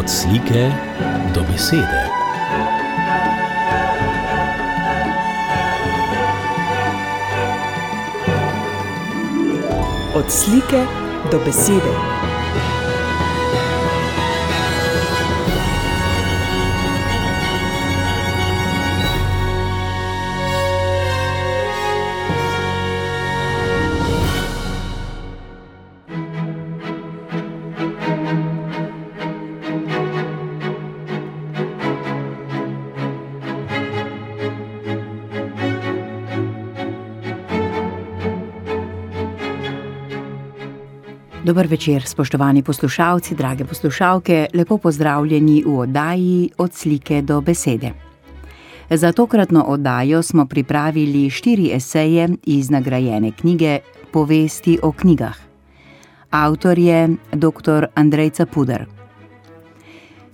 Od slike do besede. Od slike do besede. Dober večer, spoštovani poslušalci, drage poslušalke, lepo pozdravljeni v oddaji Od slike do besede. Za tokratno oddajo smo pripravili 4 eseje iz nagrajene knjige Povesti o knjigah. Avtor je dr. Andrej Capuder.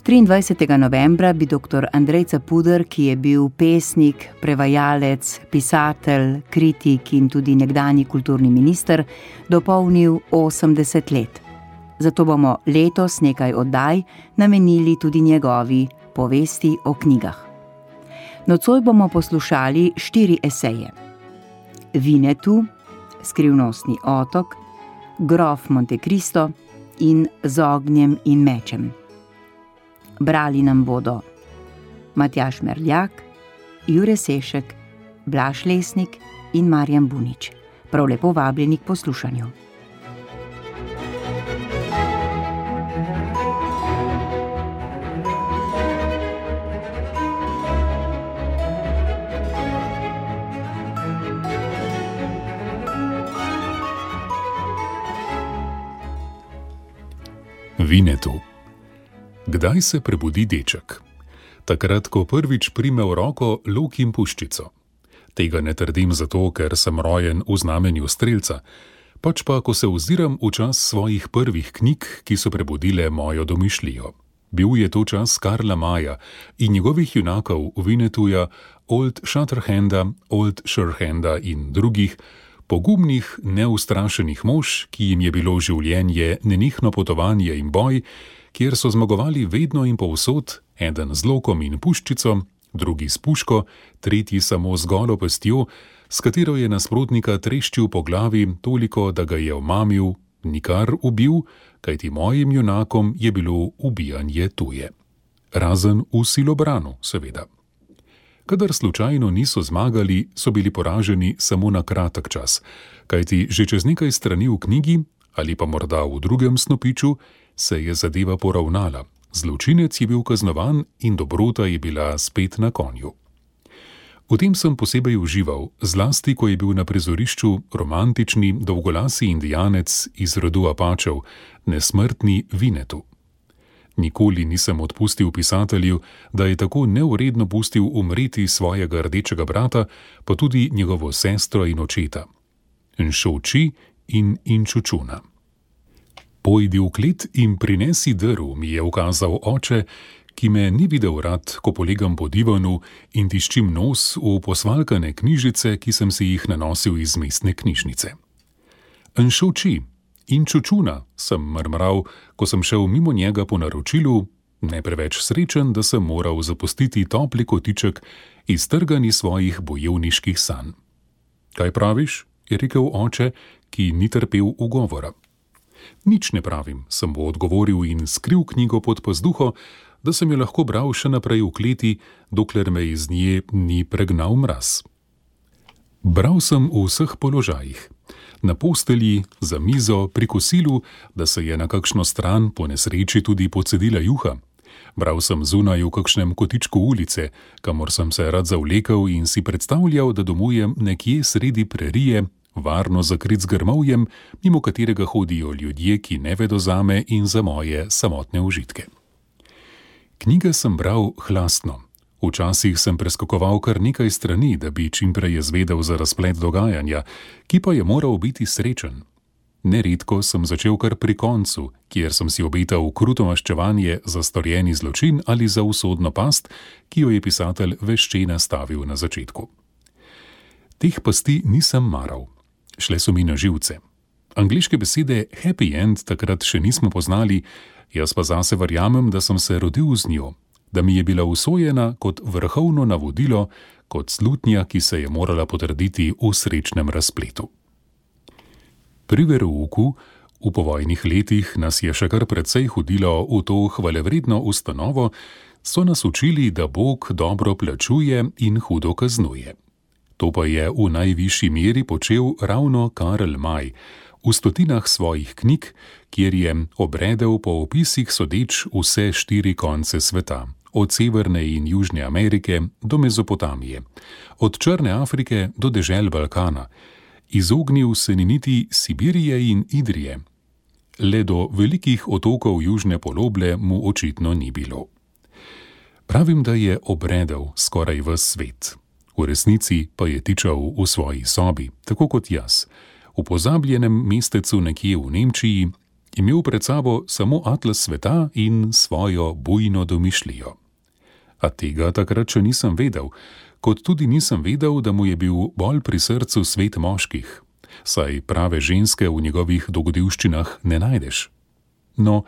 23. novembra bi dr. Andrej Capuder, ki je bil pesnik, prevajalec, pisatelj, kritik in tudi nekdanji kulturni minister, dopolnil 80 let. Zato bomo letos nekaj oddaj namenili tudi njegovi povesti o knjigah. Nocoj bomo poslušali 4 eseje. Vinetu, Skrivnostni otok, Grof Monte Cristo in Z ognjem in mečem. Brali nam bodo Matjaž Merljak, Jure Sešek, Blaž Lesnik in Marjan Bunič. Prav lepo vabljeni k poslušanju. Vinetu. Kdaj se prebudi deček? Takrat, ko prvič prime v roko luk in puščico. Tega ne trdim zato, ker sem rojen v znamenju strelca, pač pa, ko se oziram v čas svojih prvih knjig, ki so prebudile mojo domišljijo. Bil je to čas Karla Maya in njegovih junakov Vinetuja, Old Shatterhanda, Old Surehanda in drugih, pogumnih, neustrašenih mož, ki jim je bilo življenje nenehno potovanje in boj, kjer so zmagovali vedno in povsod, eden z lokom in puščico, drugi s puško, tretji samo z golo pestjo, s katero je nasprotnika treščil po glavi toliko, da ga je omamil, nikar ubil, kajti mojim junakom je bilo ubijanje tuje. Razen v silobranu, seveda. Kadar slučajno niso zmagali, so bili poraženi samo na kratek čas, kajti že čez nekaj strani v knjigi, ali pa morda v drugem snopiču, se je zadeva poravnala, zločinec je bil kaznovan in dobrota je bila spet na konju. V tem sem posebej užival, zlasti ko je bil na prizorišču romantični, dolgolasi indijanec iz rodu Apačev, nesmrtni Vinetu. Nikoli nisem odpustil pisatelju, da je tako neuredno pustil umreti svojega rdečega brata, pa tudi njegovo sestro in očeta. Nšoči in Inčučuna. Pojdi v klet in prinesi drv, mi je ukazal oče, ki me ni videl rad, ko polegam po divanu in tiščim nos v posvalkane knjižice, ki sem si jih nanosil iz mestne knjižnice. Nšoči in Čučuna, sem mrmral, ko sem šel mimo njega po naročilu, ne preveč srečen, da sem moral zapustiti topli kotiček iztrgani svojih bojevniških sanj. Kaj praviš? Je rekel oče, ki ni trpel ugovora. Nič ne pravim, sem mu odgovoril in skril knjigo pod pazduho, da sem jo lahko bral še naprej v kleti, dokler me iz nje ni pregnal mraz. Bral sem v vseh položajih. Na postelji, za mizo, pri kosilu, da se je na kakšno stran po nesreči tudi pocedila juha. Bral sem zunaj v kakšnem kotičku ulice, kamor sem se rad zavlekel in si predstavljal, da domujem nekje sredi prerije, varno zakrit z grmovjem, mimo katerega hodijo ljudje, ki ne vedo zame in za moje samotne užitke. Knjige sem bral hlastno. Včasih sem preskakoval kar nekaj strani, da bi čimprej izvedel za razplet dogajanja, ki pa je moral biti srečen. Neredko sem začel kar pri koncu, kjer sem si obetal kruto maščevanje za storjeni zločin ali za usodno past, ki jo je pisatelj vešče nastavil na začetku. Teh pasti nisem maral. Šle so mi na živce. Angleške besede happy end takrat še nismo poznali, jaz pa zase verjamem, da sem se rodil z njo, da mi je bila usojena kot vrhovno navodilo, kot slutnja, ki se je morala potrditi v srečnem razpletu. Pri verouku v povojnih letih nas je še kar precej hodilo v to hvalevredno ustanovo, so nas učili, da Bog dobro plačuje in hudo kaznuje. To pa je v najvišji meri počel ravno Karl May, v stotinah svojih knjig, kjer je obredel po opisih sodeč vse 4 konce sveta, od Severne in Južne Amerike do Mezopotamije, od Črne Afrike do dežel Balkana, izognil se ni niti Sibirije in Idrije. Le do velikih otokov južne poloble mu očitno ni bilo. Pravim, da je obredel skoraj ves svet. V resnici pa je tičal v svoji sobi, tako kot jaz, v pozabljenem mestecu nekje v Nemčiji, imel pred sabo samo atlas sveta in svojo bujno domišljijo. A tega takrat še nisem vedel, kot tudi nisem vedel, da mu je bil bolj pri srcu svet moških, saj prave ženske v njegovih dogodivščinah ne najdeš. No,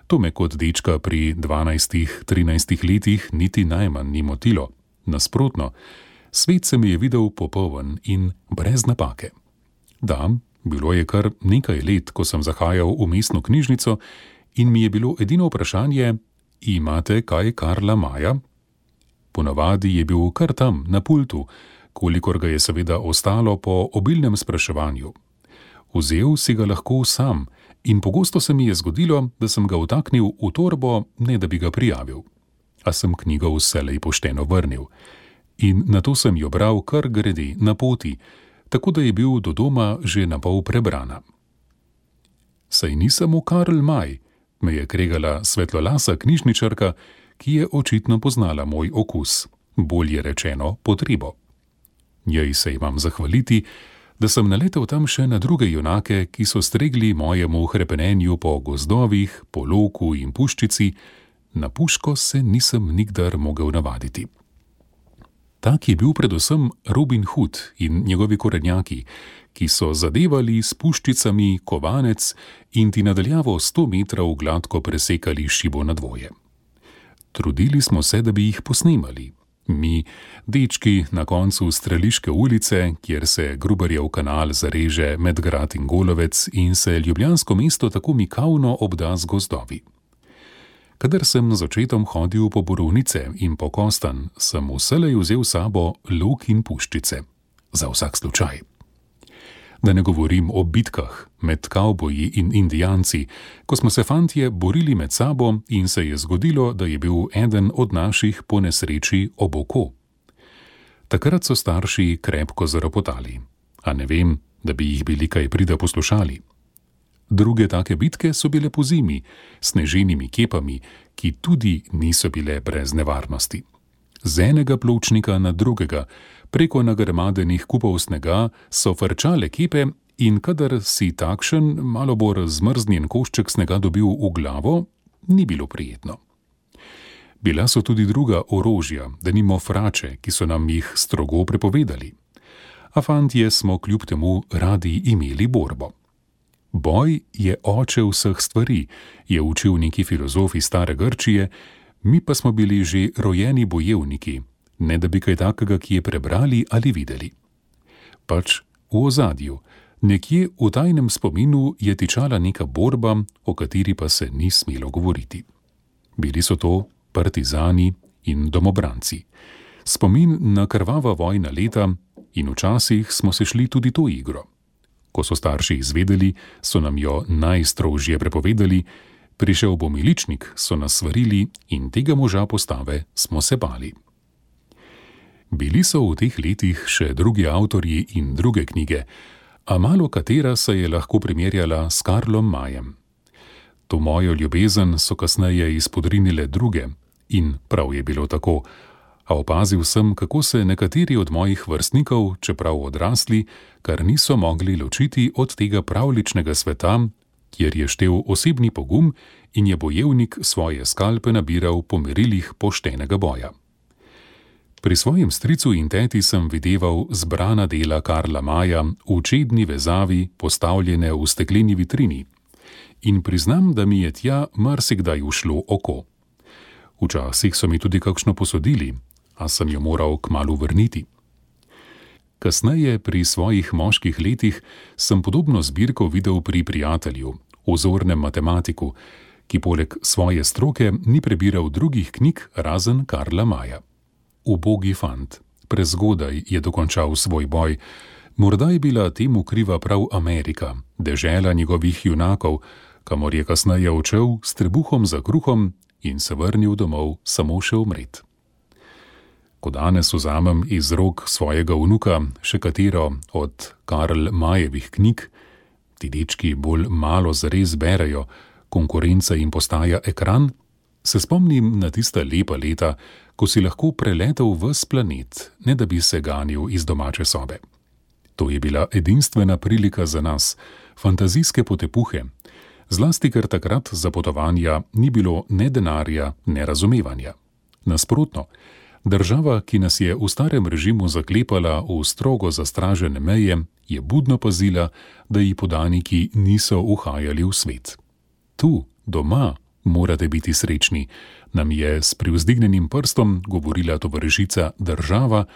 to me kot dečka pri 12-13 letih niti najmanj ni motilo. Nasprotno, svet se mi je videl popoln in brez napake. Da, bilo je kar nekaj let, ko sem zahajal v mestno knjižnico in mi je bilo edino vprašanje: imate kaj Karla Maya? Ponavadi je bil kar tam, na pultu, kolikor ga je seveda ostalo po obilnem spraševanju. Vzel si ga lahko sam in pogosto se mi je zgodilo, da sem ga vtaknil v torbo, ne da bi ga prijavil. A sem knjigo vselej pošteno vrnil. In nato sem jo bral kar grede na poti, tako da je bil do doma že napol prebrana. Saj ni samo Karl May, me je kregala svetlolasa knjižničarka, ki je očitno poznala moj okus, bolje rečeno potrebo. Njej se imam zahvaliti, da sem naletel tam še na druge junake, ki so stregli mojemu hrepenenju po gozdovih, po loku in puščici, na puško se nisem nikdar mogel navaditi. Tak je bil predvsem Robin Hood in njegovi korenjaki, ki so zadevali s puščicami kovanec in ti nadaljavo 100 metrov gladko presekali šibo na dvoje. Trudili smo se, da bi jih posnemali. Mi, dečki na koncu Streliške ulice, kjer se Gruberjev kanal zareže med grad in Golovec in se ljubljansko mesto tako mikavno obda z gozdovi. Kadar sem z očetom hodil po borovnice in po kostan, sem vselej vzel sabo lok in puščice. Za vsak slučaj. Da ne govorim o bitkah med kavboji in indijanci, ko smo se fantje borili med sabo in se je zgodilo, da je bil eden od naših po nesreči ob oko. Takrat so starši krepko zaropotali, a ne vem, da bi jih bili kaj prida poslušali. Druge take bitke so bile pozimi, s sneženimi kepami, ki tudi niso bile brez nevarnosti. Z enega pločnika na drugega, preko nagrmadenih kupov snega so frčale kepe in kadar si takšen, malo bolj zmrznjen košček snega dobil v glavo, ni bilo prijetno. Bila so tudi druga orožja, denimo frače, ki so nam jih strogo prepovedali. A fantje smo kljub temu radi imeli borbo. Boj je oče vseh stvari, je učil neki filozof iz stare Grčije, mi pa smo bili že rojeni bojevniki, ne da bi kaj takega kje prebrali ali videli. Pač v ozadju, nekje v tajnem spominu je tičala neka borba, o kateri pa se ni smelo govoriti. Bili so to partizani in domobranci. Spomin na krvava vojna leta in včasih smo se šli tudi to igro. Ko so starši izvedeli, so nam jo najstrožje prepovedali, prišel bo miličnik, so nas svarili in tega moža postave smo se bali. Bili so v teh letih še drugi avtorji in druge knjige, a malo katera se je lahko primerjala s Karlom Mayem. To mojo ljubezen so kasneje izpodrinile druge in prav je bilo tako, a opazil sem, kako se nekateri od mojih vrstnikov, čeprav odrasli, kar niso mogli ločiti od tega pravličnega sveta, kjer je štel osebni pogum in je bojevnik svoje skalpe nabiral po merilih poštenega boja. Pri svojem stricu in teti sem videval zbrana dela Karla Maja v čedni vezavi, postavljene v stekleni vitrini. In priznam, da mi je tja marsikdaj ušlo oko. Včasih so mi tudi kakšno posodili, a sem jo moral kmalu vrniti. Kasneje, pri svojih moških letih, sem podobno zbirko videl pri prijatelju, ozornem matematiku, ki poleg svoje stroke ni prebiral drugih knjig razen Karla Maja. Ubogi fant, prezgodaj je dokončal svoj boj. Morda je bila temu kriva prav Amerika, dežela njegovih junakov, kamor je kasneje odšel s trebuhom za kruhom in se vrnil domov samo še umret. Ko danes vzamem iz rok svojega vnuka še katero od Karl Majevih knjig, ti dečki bolj malo zares berejo, konkurenca jim postaja ekran, se spomnim na tista lepa leta, ko si lahko preletel ves planet, ne da bi se ganil iz domače sobe. To je bila edinstvena prilika za nas, fantazijske potepuhe, zlasti ker takrat za potovanja ni bilo ne denarja, ne razumevanja. Nasprotno, država, ki nas je v starem režimu zaklepala v strogo zastražene meje, je budno pazila, da ji podaniki niso uhajali v svet. Tu, doma, morate biti srečni, nam je s privzdignjenim prstom govorila tovarišica država,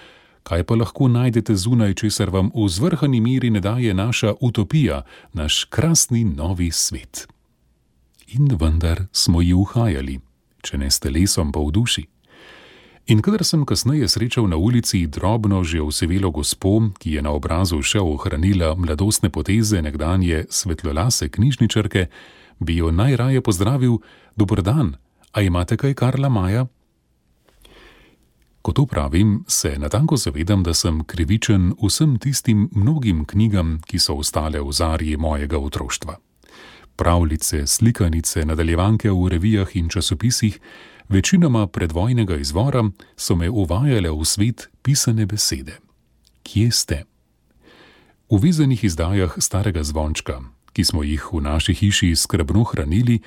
kaj pa lahko najdete zunaj, česar vam v zvrhani meri ne daje naša utopija, naš krasni novi svet. In vendar smo ji uhajali, če ne s telesom pa v duši. In kadar sem kasneje srečal na ulici drobno že osivelo gospo, ki je na obrazu še ohranila mladostne poteze nekdanje svetlolase knjižničarke, bi jo najraje pozdravil: "Dober dan, a imate kaj Karla Maja?" Ko to pravim, se natanko zavedam, da sem krivičen vsem tistim mnogim knjigam, ki so ostale v zarji mojega otroštva. Pravljice, slikanice, nadaljevanke v revijah in časopisih, večinoma predvojnega izvora, so me uvajale v svet pisane besede. Kje ste? V vezanih izdajah Starega zvončka, ki smo jih v naši hiši skrbno hranili,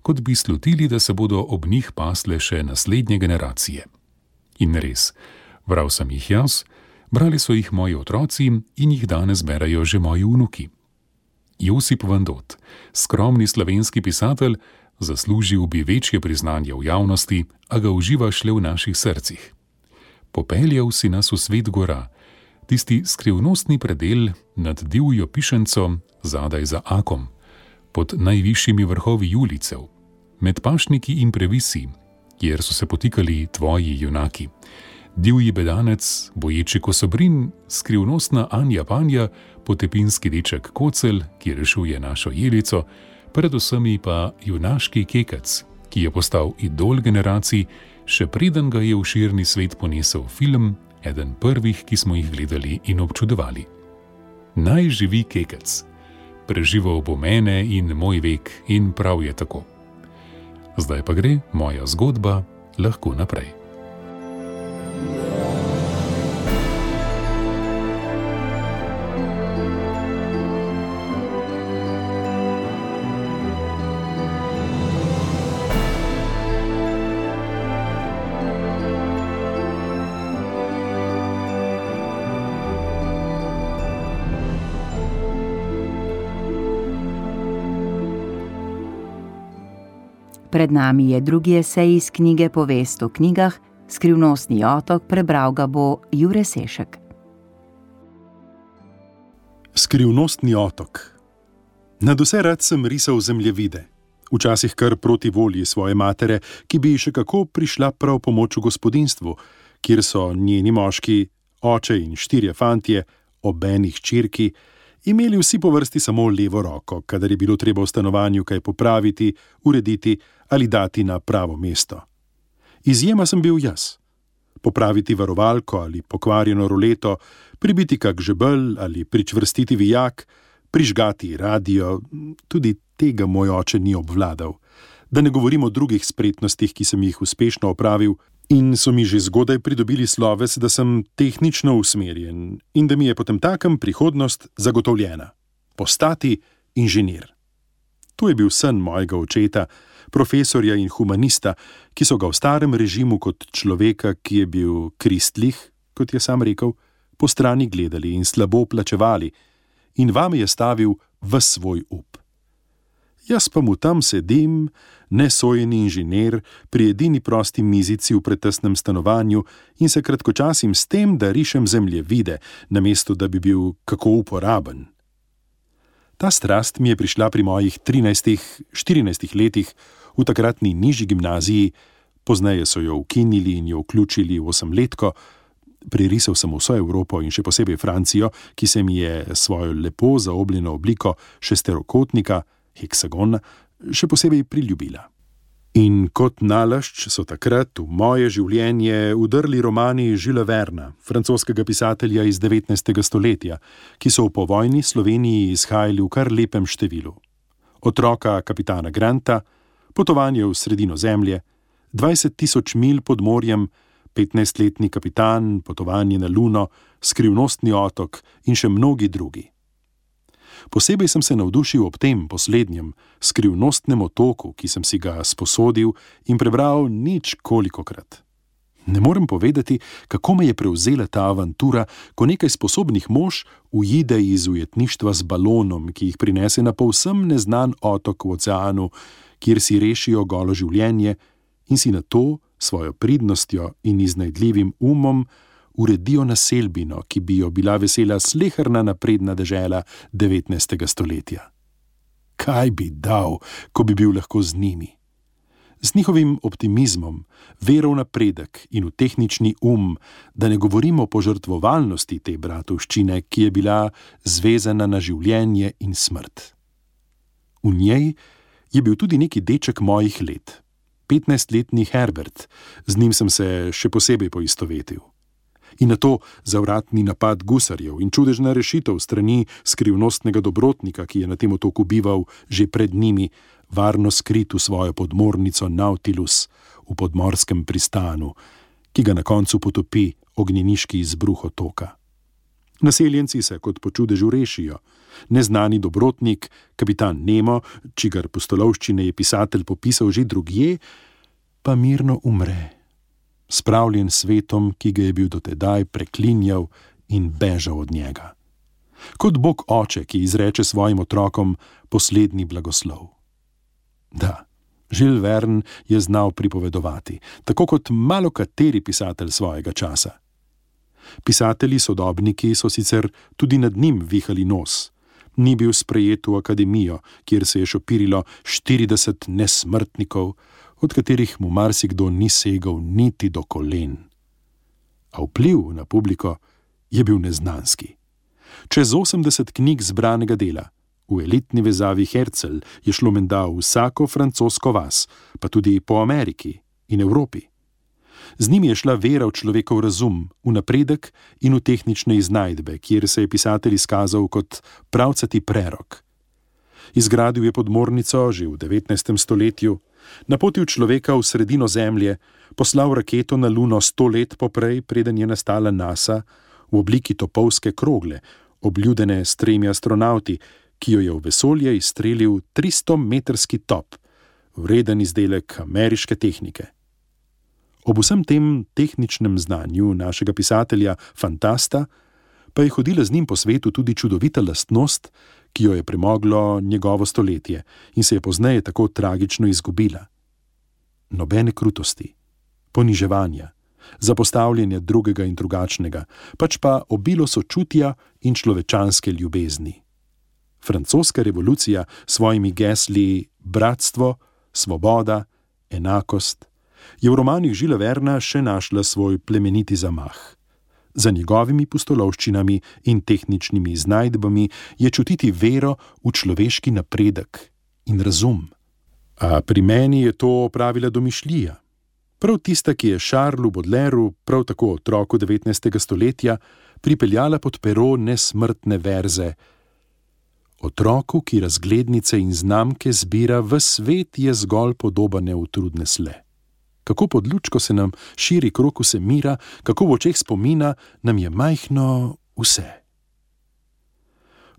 kot bi slutili, da se bodo ob njih pasle še naslednje generacije. In res, bral sem jih jaz, brali so jih moji otroci in jih danes berajo že moji vnuki. Josip Vandot, skromni slovenski pisatelj, zaslužil bi večje priznanje v javnosti, a ga uživa šle v naših srcih. Popeljal si nas v svet gora, tisti skrivnostni predel nad divjo pišenco, zadaj za Akom, pod najvišjimi vrhovi Julicev, med pašniki in previsi, kjer so se potikali tvoji junaki. Divji bedanec, boječi kosobrin, skrivnostna Anja Panja, potepinski deček Kocelj, ki rešuje našo Jelico, predvsem pa junaški Kekec, ki je postal idol generacij, še preden ga je v širni svet ponesel film, eden prvih, ki smo jih gledali in občudovali. Naj živi Kekec. Preživel bo mene in moj vek in prav je tako. Zdaj pa gre moja zgodba lahko naprej. Pred nami je drugi esej iz knjige Povest o knjigah, Skrivnostni otok, prebral ga bo Jure Sešek. Skrivnostni otok. Nadvse rad sem risal zemljevide, včasih kar proti volji svoje matere, ki bi še kako prišla prav pomoč v gospodinstvu, kjer so njeni moški, oče in 4 fantje, obeni hčerki, imeli vsi po vrsti samo levo roko, kadar je bilo treba v stanovanju kaj popraviti, urediti ali dati na pravo mesto. Izjema sem bil jaz. Popraviti varovalko ali pokvarjeno roleto, pribiti kak žebelj ali pričvrstiti vijak, prižgati radio, tudi tega moj oče ni obvladal. Da ne govorim o drugih spretnostih, ki sem jih uspešno opravil in so mi že zgodaj pridobili sloves, da sem tehnično usmerjen in da mi je potemtakem prihodnost zagotovljena. Postati inženir. To je bil sen mojega očeta, profesorja in humanista, ki so ga v starem režimu kot človeka, ki je bil kristlih, kot je sam rekel, po strani gledali in slabo plačevali, in vame je stavil ves svoj up. Jaz pa mu tam sedim, nesojeni inženir, pri edini prosti mizici v pretesnem stanovanju in se kratkočasim s tem, da rišem zemljevide, namesto da bi bil kako uporaben. Ta strast mi je prišla pri mojih 13-14 letih v takratni nižji gimnaziji, pozneje so jo ukinili in jo vključili v 8-letko. Prerisal sem vso Evropo in še posebej Francijo, ki se mi je svojo lepo zaobljeno obliko šesterokotnika, heksagona, še posebej priljubila. In kot nalašč so takrat v moje življenje udrli romani Julesa Verna, francoskega pisatelja iz 19. stoletja, ki so v povojni Sloveniji izhajali v kar lepem številu. Otroka kapitana Granta, Potovanje v sredino zemlje, 20 000 milj pod morjem, 15-letni kapitan, Potovanje na Luno, Skrivnostni otok in še mnogi drugi. Posebej sem se navdušil ob tem poslednjem, Skrivnostnem otoku, ki sem si ga sposodil in prebral nič kolikokrat. Ne morem povedati, kako me je prevzela ta avantura, ko nekaj sposobnih mož uide iz ujetništva z balonom, ki jih prinese na povsem neznan otok v oceanu, kjer si rešijo golo življenje in si na to svojo pridnostjo in iznajdljivim umom uredijo naselbino, ki bi jo bila vesela sleherna napredna dežela 19. stoletja. Kaj bi dal, ko bi bil lahko z njimi? Z njihovim optimizmom, vero v napredek in v tehnični da ne govorimo o požrtvovalnosti te bratovščine, ki je bila zvezana na življenje in smrt. V njej je bil tudi neki deček mojih let, 15-letni Herbert, z njim sem se še posebej poistovetil. In na to zavratni napad gusarjev in čudežna rešitev strani skrivnostnega dobrotnika, ki je na tem otoku bival že pred njimi, varno skrit v svojo podmornico Nautilus v podmorskem pristanu, ki ga na koncu potopi ognjeniški izbruh otoka. Naseljenci se kot po čudežu rešijo. Neznani dobrotnik, kapitan Nemo, čigar pustolovščine je pisatelj popisal že drugje, pa mirno umre, spravljen svetom, ki ga je bil dotedaj preklinjal in bežal od njega. Kot Bog oče, ki izreče svojim otrokom poslednji blagoslov. Da, Jules Verne je znal pripovedovati, tako kot malokateri pisatelj svojega časa. Pisatelji sodobniki so sicer tudi nad njim vihali nos. Ni bil sprejet v akademijo, kjer se je šopirilo 40 nesmrtnikov, od katerih mu marsikdo ni segal niti do kolen. A vpliv na publiko je bil neznanski. Čez 80 knjig zbranega dela, v elitni vezavi Herzl je šlo menda vsako francosko vas, pa tudi po Ameriki in Evropi. Z njimi je šla vera v človekov razum, v napredek in v tehnične iznajdbe, kjer se je pisatelj izkazal kot pravcati prerok. Izgradil je podmornico že v 19. stoletju, napotil človeka v sredino zemlje, poslal raketo na Luno 100 let poprej, preden je nastala NASA, v obliki topovske krogle, obljudene s 3 astronavti, ki jo je v vesolje izstrelil 300-metrski top, vreden izdelek ameriške tehnike. Ob vsem tem tehničnem znanju našega pisatelja fantasta pa je hodila z njim po svetu tudi čudovita lastnost, ki jo je premoglo njegovo stoletje in se je pozneje tako tragično izgubila. Nobene krutosti, poniževanja, zapostavljanja drugega in drugačnega, pač pa obilo sočutja in človečanske ljubezni. Francoska revolucija s svojimi gesli bratstvo, svoboda, enakost je v romanih Julesa Verna še našla svoj plemeniti zamah. Za njegovimi pustolovščinami in tehničnimi iznajdbami je čutiti vero v človeški napredek in razum. A pri meni je to opravila domišljija. Prav tista, ki je Charlesu Baudelairu, prav tako otroku 19. stoletja, pripeljala pod pero nesmrtne verze. Otroku, ki razglednice in znamke zbira, ves svet je zgolj podoba neutrudne sle. Kako pod lučko se nam širi krog vse mira, kako v očeh spomina nam je majhno vse.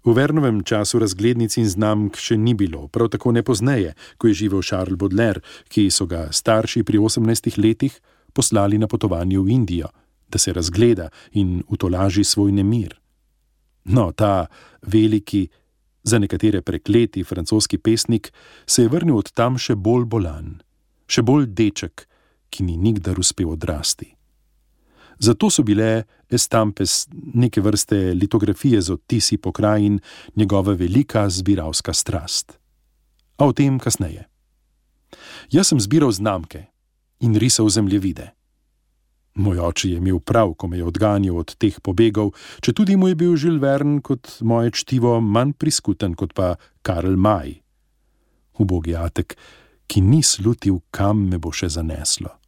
V Vernovem času razglednic in znamk še ni bilo, prav tako ne pozneje, ko je živel Charles Baudelaire, ki so ga starši pri 18 letih poslali na potovanje v Indijo, da se razgleda in utolaži svoj nemir. No, ta veliki, za nekatere prekleti francoski pesnik se je vrnil od tam še bolj bolan, še bolj deček, ki ni nikdar uspel odrasti. Zato so bile estampes neke vrste litografije z odtisi pokrajin njegova velika zbiralska strast. A o tem kasneje. Jaz sem zbiral znamke in risal zemljevide. Moj oče je imel prav, ko me je odganjal od teh pobegov, četudi mu je bil Jules Verne kot moje čtivo manj priskuten kot pa Karl May. Ubogi atek, ki ni slutil, kam me bo še zaneslo.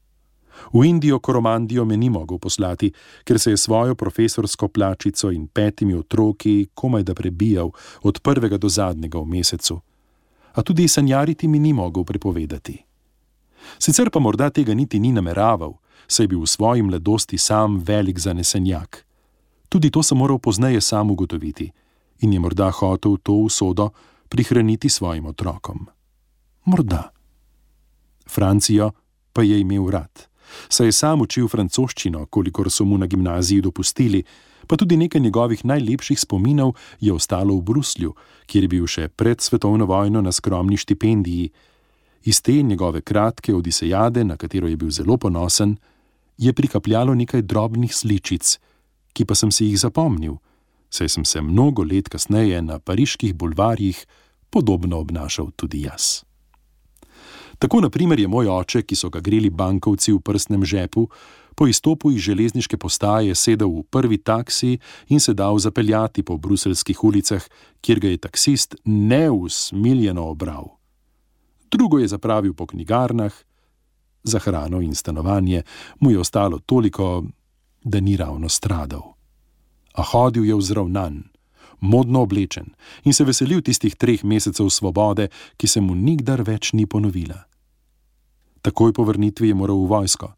V Indijo Koromandijo me ni mogel poslati, ker se je svojo profesorsko plačico in 5 otroki komaj da prebijal od prvega do zadnjega v mesecu. A tudi sanjariti mi ni mogel prepovedati. Sicer pa morda tega niti ni nameraval, saj je bil v svoji mladosti sam velik zanesenjak. Tudi to sem moral pozneje sam ugotoviti in je morda hotel to usodo prihraniti svojim otrokom. Morda. Francijo pa je imel rad. Saj je sam učil francoščino, kolikor so mu na gimnaziji dopustili, pa tudi nekaj njegovih najlepših spominov je ostalo v Bruslju, kjer je bil še pred svetovno vojno na skromni štipendiji. Iz te njegove kratke odisejade, na katero je bil zelo ponosen, je prikapljalo nekaj drobnih sličic, ki pa sem si jih zapomnil, saj sem se mnogo let kasneje na pariških bulvarjih podobno obnašal tudi jaz. Tako na primer je moj oče, ki so ga greli bankovci v prsnem žepu, po izstopu iz železniške postaje sedel v prvi taksi in se dal zapeljati po bruseljskih ulicah, kjer ga je taksist neusmiljeno obral. Drugo je zapravil po knjigarnah, za hrano in stanovanje mu je ostalo toliko, da ni ravno stradal. A hodil je vzravnan, modno oblečen in se veselil tistih 3 mesecev svobode, ki se mu nikdar več ni ponovila. Takoj po vrnitvi je moral v vojsko.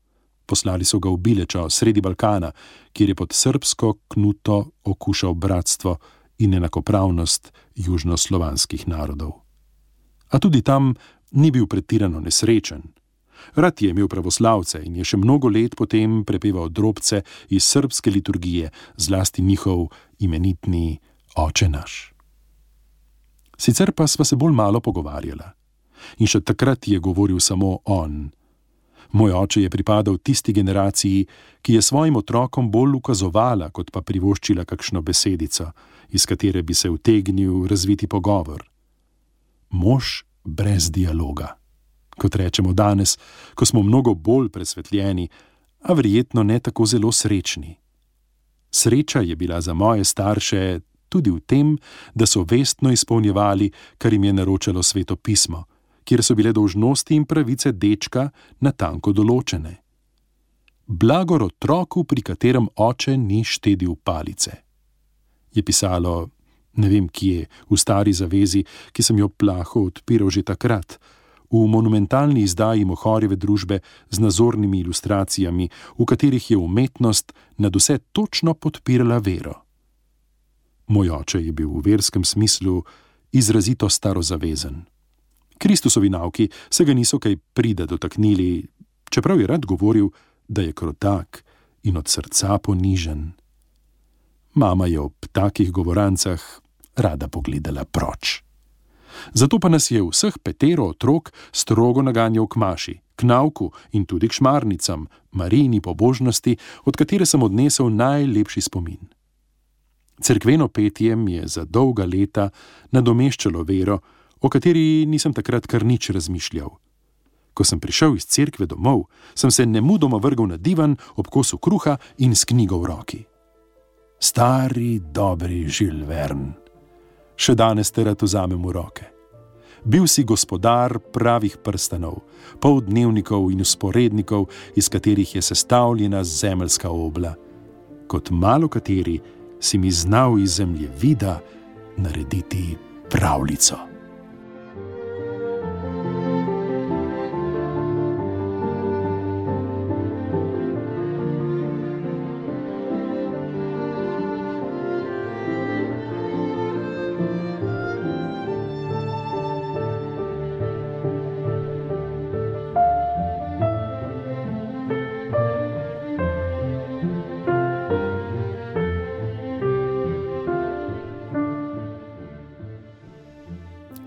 Poslali so ga v Bilečo, sredi Balkana, kjer je pod srbsko knuto okušal bratstvo in enakopravnost južnoslovanskih narodov. A tudi tam ni bil pretirano nesrečen. Rad je imel pravoslavce in je še mnogo let potem prepeval drobce iz srbske liturgije, zlasti njihov imenitni Oče naš. Sicer pa sva se bolj malo pogovarjala. In še takrat je govoril samo on. Moj oče je pripadal tisti generaciji, ki je svojim otrokom bolj ukazovala, kot pa privoščila kakšno besedico, iz katere bi se utegnil razviti pogovor. Mož brez dialoga. Kot rečemo danes, ko smo mnogo bolj presvetljeni, a verjetno ne tako zelo srečni. Sreča je bila za moje starše tudi v tem, da so vestno izpolnjevali, kar jim je naročalo Sveto pismo, kjer so bile dolžnosti in pravice dečka natanko določene. Blagor otroku, pri katerem oče ni štedil palice. Je pisalo, ne vem kje, v stari zavezi, ki sem jo plaho odpiral že takrat, v monumentalni izdaji Mohorjeve družbe z nazornimi ilustracijami, v katerih je umetnost nad vse točno podpirala vero. Moj oče je bil v verskem smislu izrazito starozavezen. Kristusovi nauki se ga niso kaj prida dotaknili, čeprav je rad govoril, da je krotak in od srca ponižen. Mama je ob takih govorancah rada pogledala proč. Zato pa nas je vseh 5 otrok strogo naganjal k maši, k nauku in tudi k šmarnicam, Marijini pobožnosti, od katere sem odnesel najlepši spomin. Cerkveno petje mi je za dolga leta nadomeščalo vero, o kateri nisem takrat kar nič razmišljal. Ko sem prišel iz cerkve domov, sem se nemudoma vrgel na divan ob kosu kruha in s knjigo v roki. Stari, dobri Jules Verne. Še danes te rad vzamem v roke. Bil si gospodar pravih prstanov, poldnevnikov in vzporednikov, iz katerih je sestavljena zemeljska obla. Kot malo kateri si mi znal iz zemljevida narediti pravljico.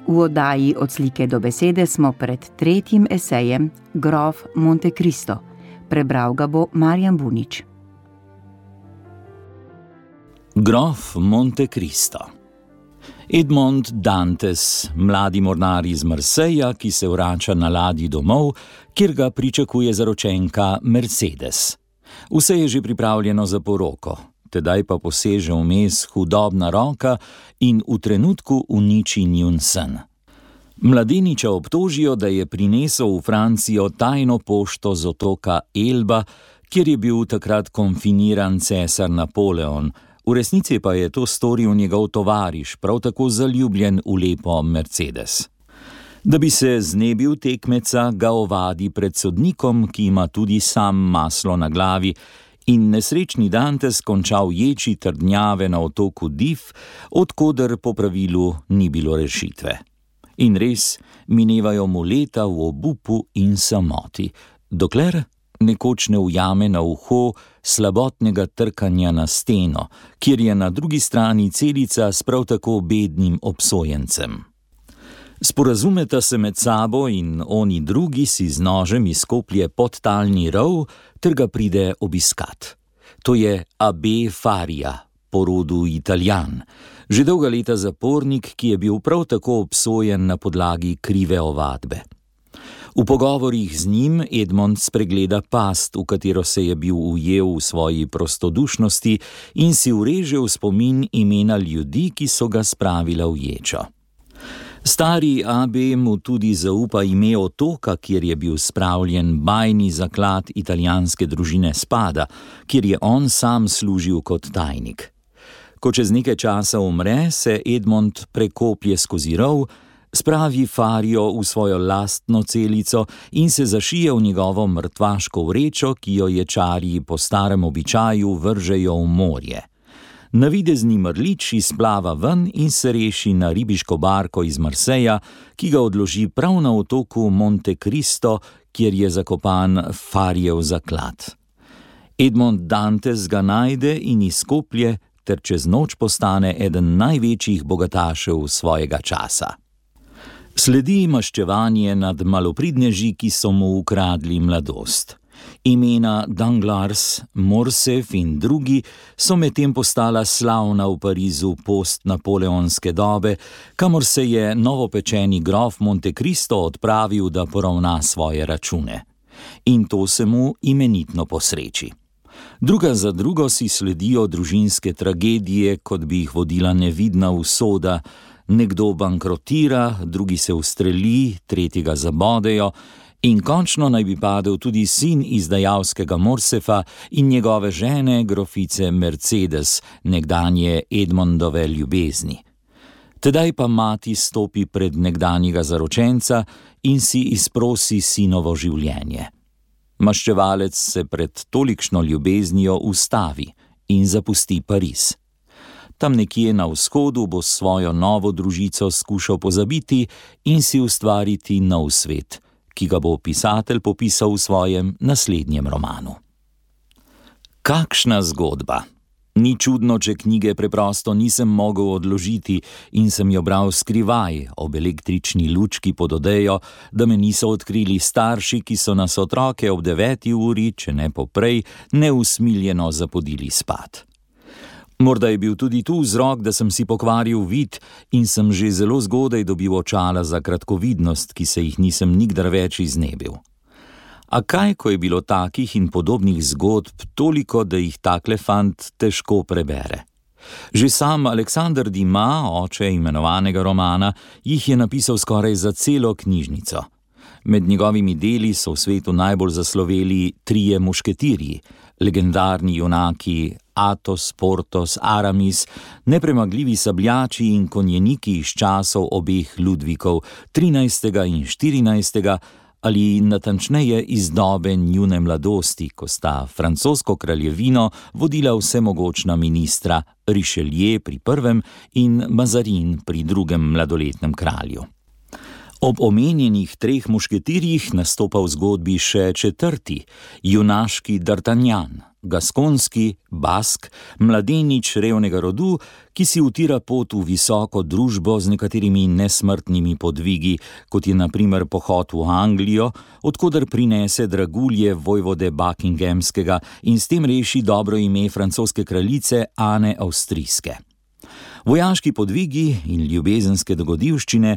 V oddaji Od slike do besede smo pred tretjim esejem Grof Monte Cristo. Prebral ga bo Marjan Bunič. Grof Monte Cristo. Edmond Dantes, mladi mornar iz Marseja, ki se vrača na ladji domov, kjer ga pričakuje zaročenka Mercedes. Vse je že pripravljeno za poroko, tedaj pa poseže vmes hudobna roka in v trenutku uniči njun sen. Mladeniča obtožijo, da je prinesel v Francijo tajno pošto z otoka Elba, kjer je bil takrat konfiniran cesar Napoleon, v resnici pa je to storil njegov tovariš, prav tako zaljubljen v lepo Mercedes. Da bi se znebil tekmeca, ga ovadi pred sodnikom, ki ima tudi sam maslo na glavi, in nesrečni Dantes končal ječi trdnjave na otoku Dif, odkoder po pravilu ni bilo rešitve. In res, minevajo mu leta v obupu in samoti, dokler nekoč ne ujame na uho slabotnega trkanja na steno, kjer je na drugi strani celica s prav tako bednim obsojencem. Sporazumeta se med sabo in oni drugi si z nožem izkoplje podtalni rov, ter ga pride obiskat. To je Abbé Faria, po rodu Italijan, že dolga leta zapornik, ki je bil prav tako obsojen na podlagi krive ovadbe. V pogovorih z njim Edmond spregleda past, v katero se je bil ujel v svoji prostodušnosti, in si ureže v spomin imena ljudi, ki so ga spravila v ječo. Stari Abbé mu tudi zaupa ime otoka, kjer je bil spravljen bajni zaklad italijanske družine Spada, kjer je on sam služil kot tajnik. Ko čez nekaj časa umre, se Edmond prekoplje skozi rov, spravi Fario v svojo lastno celico in se zašije v njegovo mrtvaško vrečo, ki jo ječarji po starem običaju vržejo v morje. Navidezni mrlič izplava ven in se reši na ribiško barko iz Marseja, ki ga odloži prav na otoku Monte Cristo, kjer je zakopan Farijev zaklad. Edmond Dantes ga najde in izkoplje, ter čez noč postane eden največjih bogatašev svojega časa. Sledi maščevanje nad malopridneži, ki so mu ukradli mladost. Imena Danglars, Morcerf in drugi so medtem postala slavna v Parizu post-napoleonske dobe, kamor se je novopečeni grof Monte Cristo odpravil, da poravna svoje račune. In to se mu imenitno posreči. Druga za drugo si sledijo družinske tragedije, kot bi jih vodila nevidna usoda. Nekdo bankrotira, drugi se ustreli, tretjega zabodejo in končno naj bi padel tudi sin izdajalskega Morcerfa in njegove žene, grofice Mercedes, nekdanje Edmondove ljubezni. Tedaj pa mati stopi pred nekdanjega zaročenca in si izprosi sinovo življenje. Maščevalec se pred tolikšno ljubeznijo ustavi in zapusti Pariz. Tam nekje na vzhodu bo svojo novo družico skušal pozabiti in si ustvariti nov svet, ki ga bo pisatelj popisal v svojem naslednjem romanu. Kakšna zgodba! Ni čudno, če knjige preprosto nisem mogel odložiti in sem jo bral skrivaj ob električni lučki pod odejo, da me niso odkrili starši, ki so nas otroke ob 9. uri, če ne poprej, neusmiljeno zapodili spat. Morda je bil tudi tu vzrok, da sem si pokvaril vid in sem že zelo zgodaj dobil očala za kratkovidnost, ki se jih nisem nikdar več iznebil. A kaj, ko je bilo takih in podobnih zgodb toliko, da jih takle fant težko prebere? Že sam Alexander Dumas, oče imenovanega romana, jih je napisal skoraj za celo knjižnico. Med njegovimi deli so v svetu najbolj zasloveli Trije mušketirji, legendarni junaki Athos, Porthos, Aramis, nepremagljivi sabljači in konjeniki iz časov obeh Ludvikov, 13. in 14., ali natančneje iz dobe njune mladosti, ko sta francosko kraljevino vodila vsemogočna ministra Richelieu pri prvem in Mazarin pri drugem mladoletnem kralju. Ob omenjenih Treh mušketirjih nastopa v zgodbi še četrti, junaški D'Artagnan, gaskonski, bask, mladenič revnega rodu, ki si utira pot v visoko družbo z nekaterimi nesmrtnimi podvigi, kot je na primer pohod v Anglijo, odkoder prinese dragulje vojvode Buckinghamskega in s tem reši dobro ime francoske kraljice Ane Avstrijske. Vojaški podvigi in ljubezenske dogodivščine,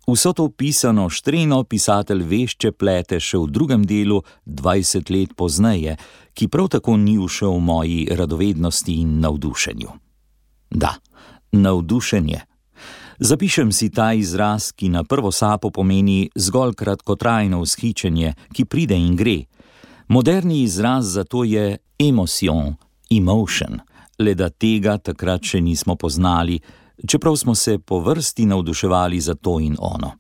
vso to pisano štreno pisatelj vešče plete še v drugem delu 20 let pozneje, ki prav tako ni ušel v moji radovednosti in navdušenju. Da, navdušenje. Zapišem si ta izraz, ki na prvo sapo pomeni zgolj kratkotrajno vzhičenje, ki pride in gre. Moderni izraz za to je emotion, le da tega takrat še nismo poznali, čeprav smo se po vrsti navduševali za to in ono.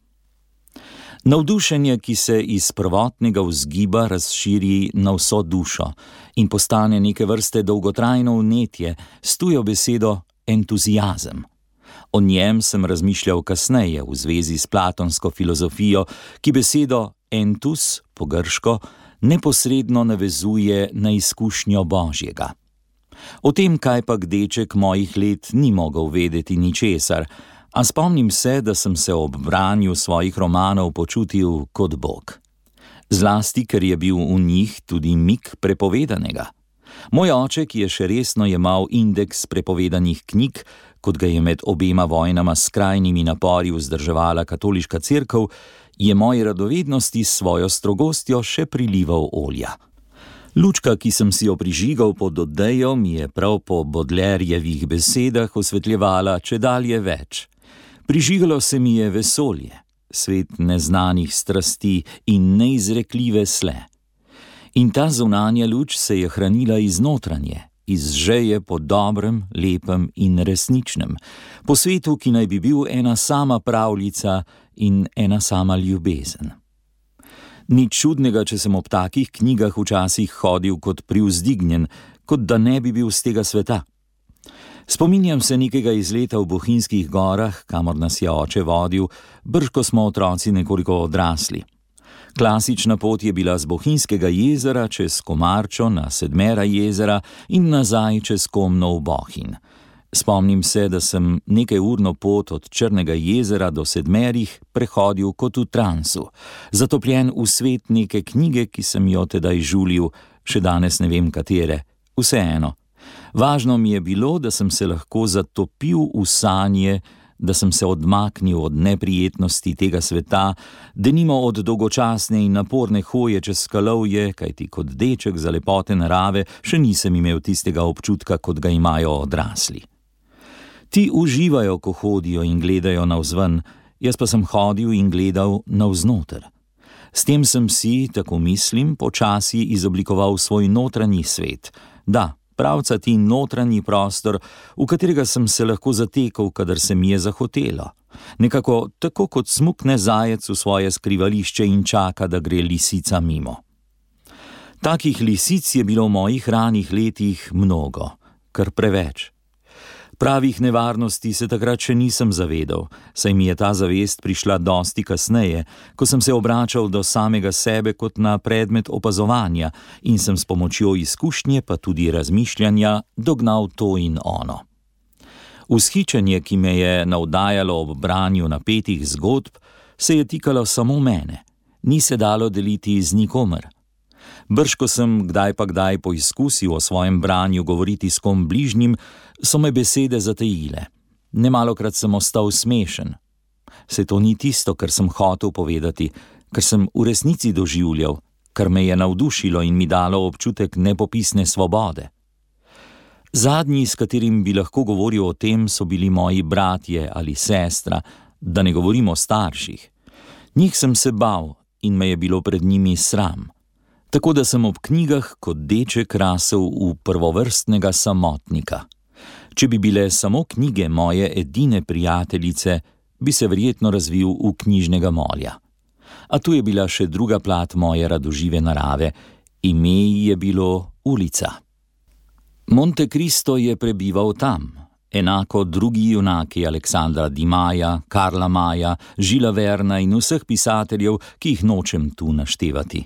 Navdušenje, ki se iz prvotnega vzgiba razširi na vso dušo in postane neke vrste dolgotrajno vnetje, s tujo besedo entuziazem. O njem sem razmišljal kasneje v zvezi s platonsko filozofijo, ki besedo entus, po grško, neposredno navezuje na izkušnjo Božjega. O tem kajpak deček mojih let ni mogel vedeti ničesar, a spomnim se, da sem se ob branju svojih romanov počutil kot Bog. Zlasti, ker je bil v njih tudi mik prepovedanega. Moj oče, ki je še resno jemal indeks prepovedanih knjig, kot ga je med obema vojnama s skrajnimi napori vzdrževala katoliška cerkev, je moji radovednosti s svojo strogostjo še prilival olja. Lučka, ki sem si jo prižigal pod odejo, mi je prav po Baudelaireovih besedah osvetljevala čedalje več. Prižigalo se mi je vesolje, svet neznanih strasti in neizrekljive sle. In ta zunanja luč se je hranila iz notranje, iz žeje po dobrem, lepem in resničnem, po svetu, ki naj bi bil ena sama pravljica in ena sama ljubezen. Nič čudnega, če sem ob takih knjigah včasih hodil kot privzdignjen, kot da ne bi bil z tega sveta. Spominjam se nekega izleta v Bohinjskih gorah, kamor nas je oče vodil, brž ko smo otroci nekoliko odrasli. Klasična pot je bila z Bohinjskega jezera čez Komarčo na Sedmera jezera in nazaj čez Komno v Bohinj. Spomnim se, da sem nekajurno pot od Črnega jezera do Sedmerih prehodil kot v transu, zatopljen v svet neke knjige, ki sem jo tedaj žulil, še danes ne vem katere, vseeno. Važno mi je bilo, da sem se lahko zatopil v sanje, da sem se odmaknil od neprijetnosti tega sveta, denimo od dolgočasne in naporne hoje čez skalovje, kajti kot deček za lepote narave še nisem imel tistega občutka, kot ga imajo odrasli. Ti uživajo, ko hodijo in gledajo navzven, jaz pa sem hodil in gledal navznoter. S tem sem si, tako mislim, počasi izoblikoval svoj notranji svet. Da, pravcati notranji prostor, v katerega sem se lahko zatekal, kadar se mi je zahotelo. Nekako tako, kot smukne zajec v svoje skrivališče in čaka, da gre lisica mimo. Takih lisic je bilo v mojih ranih letih mnogo, kar preveč. Pravih nevarnosti se takrat še nisem zavedal, saj mi je ta zavest prišla dosti kasneje, ko sem se obračal do samega sebe kot na predmet opazovanja in sem s pomočjo izkušnje pa tudi razmišljanja dognal to in ono. Vzhičenje, ki me je navdajalo ob branju napetih zgodb, se je tikalo samo mene, ni se dalo deliti z nikomer. Brž ko sem kdaj pa kdaj poizkusil o svojem branju govoriti s kom bližnjim, so me besede zatejile. Nemalokrat sem ostal smešen. Se to ni tisto, kar sem hotel povedati, kar sem v resnici doživljal, kar me je navdušilo in mi dalo občutek nepopisne svobode. Zadnji, s katerim bi lahko govoril o tem, so bili moji bratje ali sestra, da ne govorim o starših. Njih sem se bal in me je bilo pred njimi sram. Tako da sem ob knjigah kot deček rasel v prvovrstnega samotnika. Če bi bile samo knjige moje edine prijateljice, bi se verjetno razvil v knjižnega molja. A tu je bila še druga plat moje radožive narave, ime ji je bilo Ulica. Monte Cristo je prebival tam, enako drugi junaki Aleksandra Dimaja, Karla Maja, Žila Verna in vseh pisateljev, ki jih nočem tu naštevati.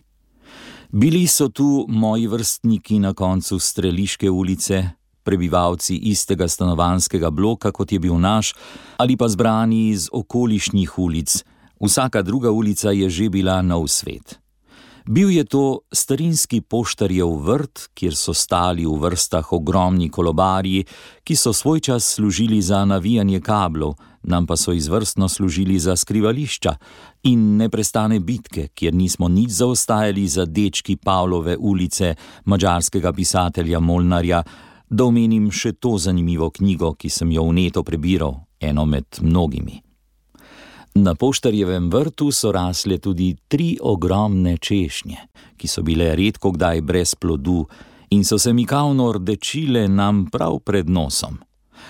Bili so tu moji vrstniki na koncu Streliške ulice, prebivalci istega stanovanjskega bloka, kot je bil naš, ali pa zbrani iz okolišnih ulic. Vsaka druga ulica je že bila nov svet. Bil je to starinski poštarjev vrt, kjer so stali v vrstah ogromni kolobarji, ki so svoj čas služili za navijanje kablov, nam pa so izvrstno služili za skrivališča, in neprestane bitke, kjer nismo nič zaostajali za dečki Pavlove ulice, madžarskega pisatelja Molnarja, da omenim še to zanimivo knjigo, ki sem jo vneto prebiral, eno med mnogimi. Na poštarjevem vrtu so rasle tudi 3 ogromne češnje, ki so bile redko kdaj brez plodu in so se mikavno rdečile nam prav pred nosom.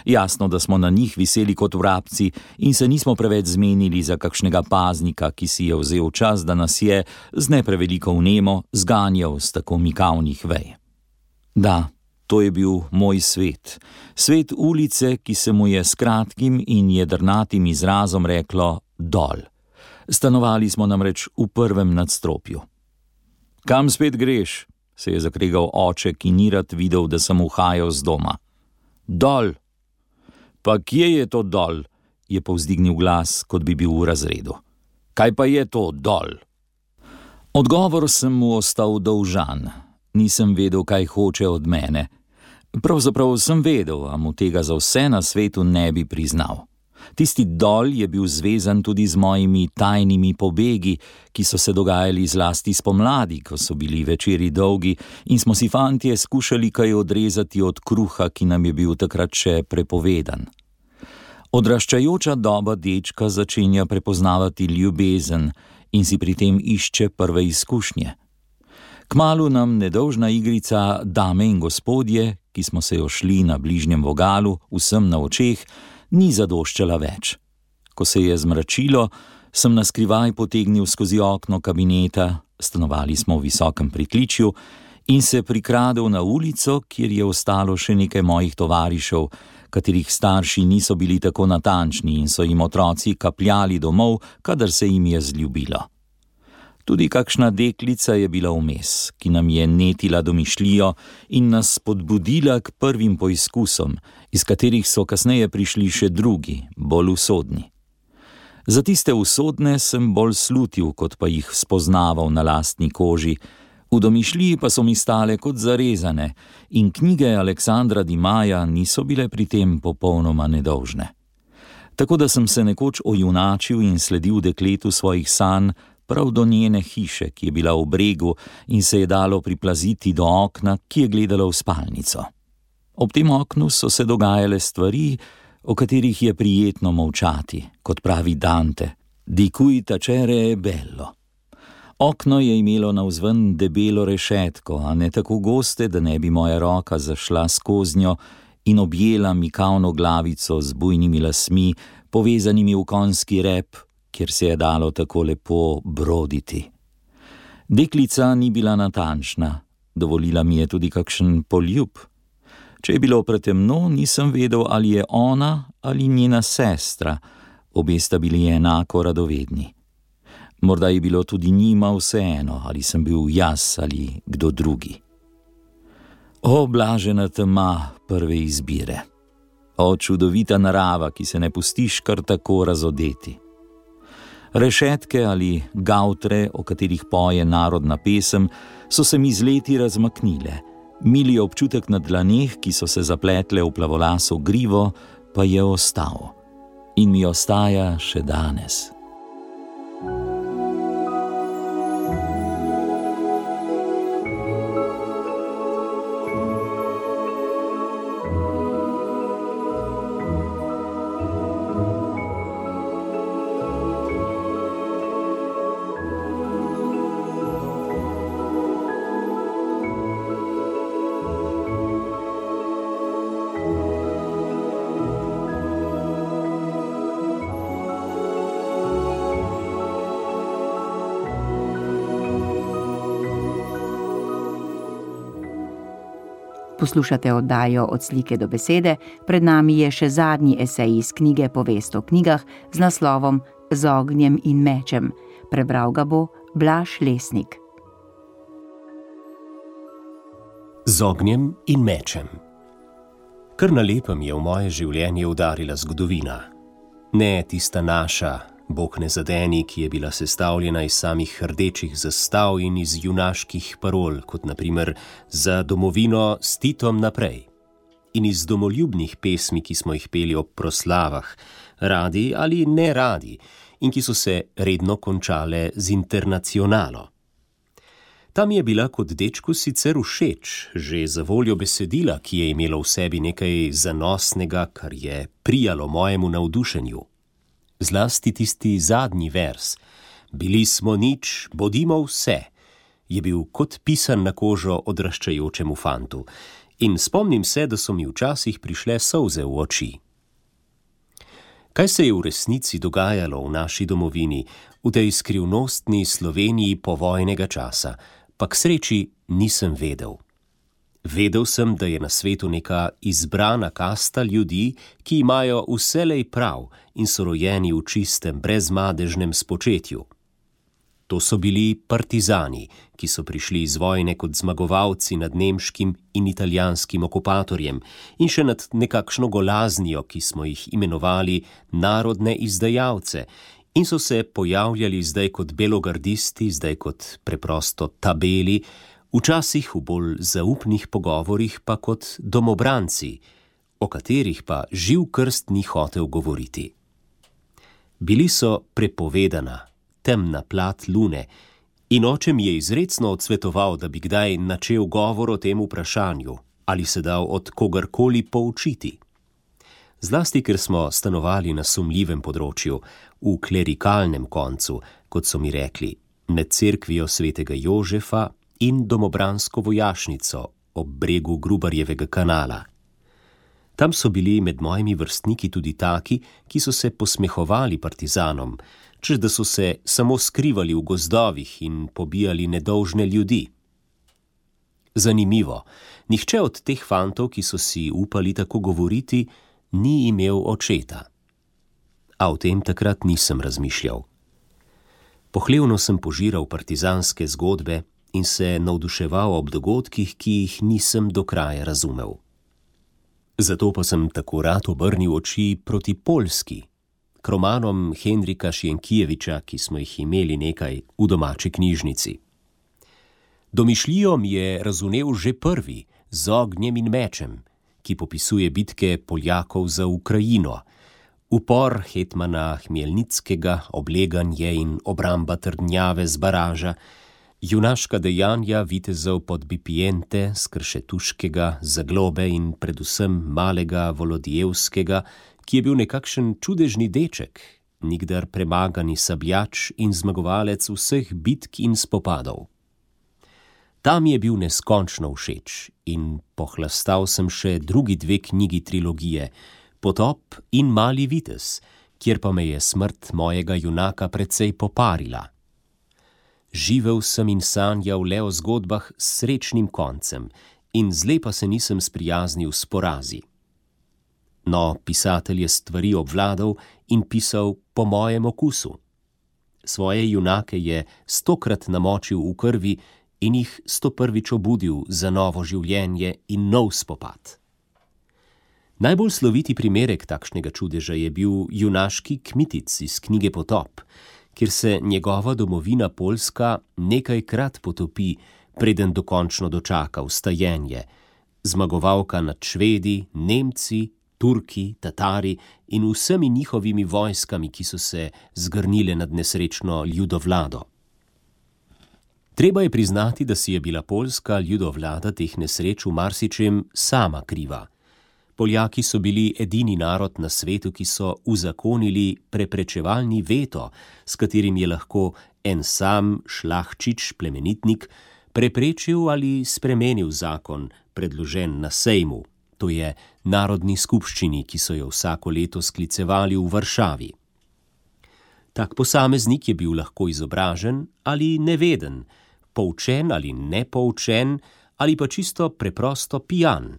Jasno, da smo na njih viseli kot vrabci in se nismo preveč zmenili za kakšnega paznika, ki si je vzel čas, da nas je z ne preveliko vnemo zganjal s tako mikavnih vej. Da, to je bil moj svet. Svet ulice, ki se mu je s kratkim in jedrnatim izrazom reklo dol. Stanovali smo namreč v 1. nadstropju. Kam spet greš? Se je zakregal oče, ki ni rad videl, da sem uhajal z doma. Dol. Pa kje je to dol? Je povzdignil glas, kot bi bil v razredu. Kaj pa je to dol? Odgovor sem mu ostal dolžan. Nisem vedel, kaj hoče od mene. Pravzaprav sem vedel, a mu tega za vse na svetu ne bi priznal. Tisti dol je bil zvezan tudi z mojimi tajnimi pobegi, ki so se dogajali zlasti spomladi, ko so bili večeri dolgi in smo si fantje skušali kaj odrezati od kruha, ki nam je bil takrat še prepovedan. Odraščajoča doba dečka začenja prepoznavati ljubezen in si pri tem išče prve izkušnje. Kmalu nam nedolžna igrica Dame in gospodje, ki smo se jo šli na bližnjem vogalu, vsem na očeh, ni zadoščala več. Ko se je zmračilo, sem naskrivaj potegnil skozi okno kabineta, stanovali smo v visokem pritličju, in se prikradel na ulico, kjer je ostalo še nekaj mojih tovarišev, katerih starši niso bili tako natančni in so jim otroci kapljali domov, kadar se jim je zljubilo. Tudi kakšna deklica je bila vmes, ki nam je netila domišljijo in nas spodbudila k prvim poizkusom, iz katerih so kasneje prišli še drugi, bolj usodni. Za tiste usodne sem bolj slutil, kot pa jih spoznaval na lastni koži, v domišljiji pa so mi stale kot zarezane in knjige Aleksandra Dimaja niso bile pri tem popolnoma nedolžne. Tako da sem se nekoč ojunačil in sledil dekletu svojih sanj, prav do njene hiše, ki je bila v bregu in se je dalo priplaziti do okna, ki je gledalo v spalnico. Ob tem oknu so se dogajale stvari, o katerih je prijetno molčati, kot pravi Dante, di cui tacere è bello. Okno je imelo navzven debelo rešetko, a ne tako goste, da ne bi moja roka zašla skoznjo in objela mikavno glavico z bujnimi lasmi, povezanimi v konjski rep, kjer se je dalo tako lepo broditi. Deklica ni bila natančna, dovolila mi je tudi kakšen poljub. Če je bilo pretemno, nisem vedel, ali je ona ali njena sestra, obe sta bili enako radovedni. Morda je bilo tudi njima vseeno, ali sem bil jaz ali kdo drugi. O, blažena tema prve izbire. O, čudovita narava, ki se ne pustiš kar tako razodeti. Rešetke ali gavtre, o katerih poje narodna pesem, so se mi z leti razmaknile. Mili občutek na dlaneh, ki so se zapletle v plavolaso grivo, pa je ostal. In mi ostaja še danes. Poslušate oddajo Od slike do besede, pred nami je še zadnji esej iz knjige Povest o knjigah z naslovom Z ognjem in mečem. Prebral ga bo Blaž Lesnik. Z ognjem in mečem. Kar na lepem je v moje življenje udarila zgodovina. Ne tista naša, Bog ne zadeni, ki je bila sestavljena iz samih rdečih zastav in iz junaških parol, kot na primer za domovino s Titom naprej. In iz domoljubnih pesmi, ki smo jih peli ob proslavah, radi ali ne radi, in ki so se redno končale z internacionalo. Ta mi je bila kot dečku sicer všeč, že za voljo besedila, ki je imelo v sebi nekaj zanosnega, kar je prijalo mojemu navdušenju. Zlasti tisti zadnji vers, bili smo nič, bodimo vse, je bil kot pisan na kožo odraščajočemu fantu. In spomnim se, da so mi včasih prišle solze v oči. Kaj se je v resnici dogajalo v naši domovini, v tej skrivnostni Sloveniji povojnega časa, pa k sreči nisem vedel. Vedel sem, da je na svetu neka izbrana kasta ljudi, ki imajo vselej prav in so rojeni v čistem, brezmadežnem spočetju. To so bili partizani, ki so prišli iz vojne kot zmagovalci nad nemškim in italijanskim okupatorjem in še nad nekakšno golaznijo, ki smo jih imenovali narodne izdajalce, in so se pojavljali zdaj kot belogardisti, zdaj kot preprosto tabeli, včasih v bolj zaupnih pogovorih pa kot domobranci, o katerih pa živ krst ni hotel govoriti. Bili so prepovedana, temna plat lune, in oče mi je izrecno odsvetoval, da bi kdaj načel govor o tem vprašanju, ali se dal od kogarkoli poučiti. Zlasti, ker smo stanovali na sumljivem področju, v klerikalnem koncu, kot so mi rekli, med cerkvijo svetega Jožefa in domobransko vojašnico ob bregu Grubarjevega kanala. Tam so bili med mojimi vrstniki tudi taki, ki so se posmehovali partizanom, češ da so se samo skrivali v gozdovih in pobijali nedolžne ljudi. Zanimivo, nihče od teh fantov, ki so si upali tako govoriti, ni imel očeta. A o tem takrat nisem razmišljal. Pohlevno sem požiral partizanske zgodbe in se navduševal ob dogodkih, ki jih nisem do kraja razumel. Zato pa sem tako rad obrnil oči proti Poljski, k romanom Henrika Sienkiewicza, ki smo jih imeli nekaj v domači knjižnici. Domišljijo mi je razumel že prvi, z ognjem in mečem, ki popisuje bitke Poljakov za Ukrajino, upor hetmana Hmelnickega, obleganje in obramba trdnjave z baraža, junaška dejanja vitezov Podbipiente, Skršetuškega, Zaglobe in predvsem malega Volodijevskega, ki je bil nekakšen čudežni deček, nikdar premagani sabljač in zmagovalec vseh bitk in spopadov. Tam je bil neskončno všeč in pohlastal sem še drugi dve knjigi trilogije, Potop in Mali vitez, kjer pa me je smrt mojega junaka precej poparila. Živel sem in sanjal le o zgodbah s srečnim koncem in zle pa se nisem sprijaznil s porazi. No, pisatelj je stvari obvladal in pisal po mojem okusu. Svoje junake je 100-krat namočil v krvi in jih 101. obudil za novo življenje in nov spopad. Najbolj sloviti primerek takšnega čudeža je bil junaški Kmitic iz knjige Potop, kjer se njegova domovina Poljska nekajkrat potopi, preden dokončno dočaka vstajenje, zmagovalka nad Švedi, Nemci, Turki, Tatari in vsemi njihovimi vojskami, ki so se zgrnile nad nesrečno ljudovlado. Treba je priznati, da si je bila poljska ljudovlada teh nesreč v marsičem sama kriva. Poljaki so bili edini narod na svetu, ki so uzakonili preprečevalni veto, s katerim je lahko en sam šlahčič, plemenitnik, preprečil ali spremenil zakon, predložen na sejmu, to je narodni skupščini, ki so jo vsako leto sklicevali v Varšavi. Tak posameznik je bil lahko izobražen ali neveden, poučen ali nepoučen, ali pa čisto preprosto pijan.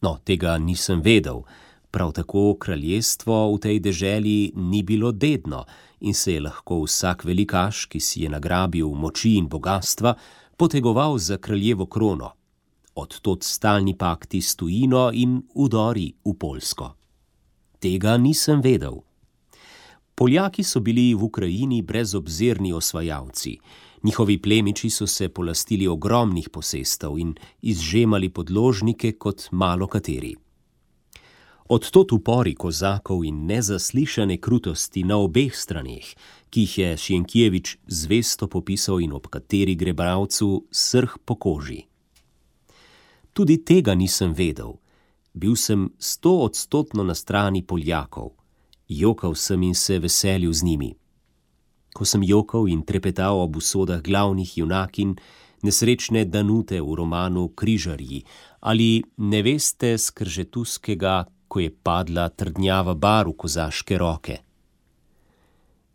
No, tega nisem vedel, prav tako kraljestvo v tej deželi ni bilo dedno in se je lahko vsak velikaš, ki si je nagrabil moči in bogastva, potegoval za kraljevo krono. odtod stalni pakti s tujino in vdori v Poljsko. Tega nisem vedel. Poljaki so bili v Ukrajini brezobzirni osvajalci. Njihovi plemiči so se polastili ogromnih posestev in izžemali podložnike kot malo kateri. Odtod upori kozakov in nezaslišane krutosti na obeh straneh, ki jih je Sienkiewicz zvesto popisal in ob kateri gre bralcu srh po koži. Tudi tega nisem vedel. Bil sem 100% na strani Poljakov. Jokal sem in se veselil z njimi. Ko sem jokal in trepetal ob usodah glavnih junakinj, nesrečne Danute v romanu Križarji ali neveste Skržetuskega, ko je padla trdnjava bar v kozaške roke.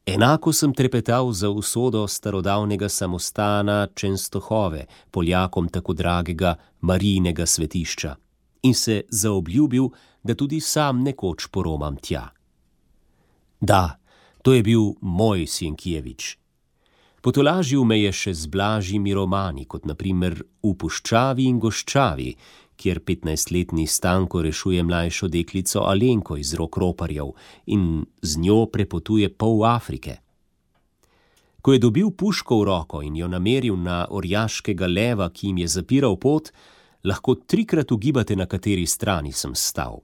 Enako sem trepetal za usodo starodavnega samostana Čenstohove, Poljakom tako dragega Marijinega svetišča, in se zaobljubil, da tudi sam nekoč poromam tja. Da, to je bil moj Sienkiewicz. Potolažil me je še z blažjimi romani, kot na primer V puščavi in goščavi, kjer 15-letni Stanko rešuje mlajšo deklico Alenko iz rok roparjev in z njo prepotuje pol Afrike. Ko je dobil puško v roko in jo nameril na orjaškega leva, ki jim je zapiral pot, lahko 3-krat ugibate, na kateri strani sem stal.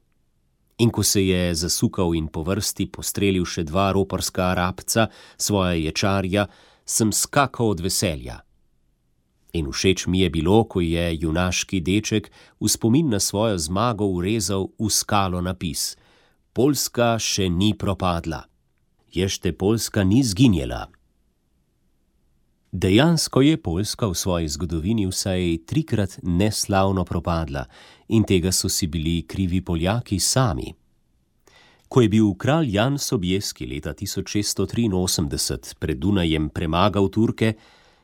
In ko se je zasukal in po vrsti postrelil še 2 roparska Arabca, svoja ječarja, sem skakal od veselja. In všeč mi je bilo, ko je junaški deček v spomin na svojo zmago urezal v skalo napis: Poljska še ni propadla. Ješte Poljska ni zginjela. Dejansko je Poljska v svoji zgodovini vsaj 3-krat neslavno propadla in tega so si bili krivi Poljaki sami. Ko je bil kralj Jan Sobieski leta 1683 pred Dunajem premagal Turke,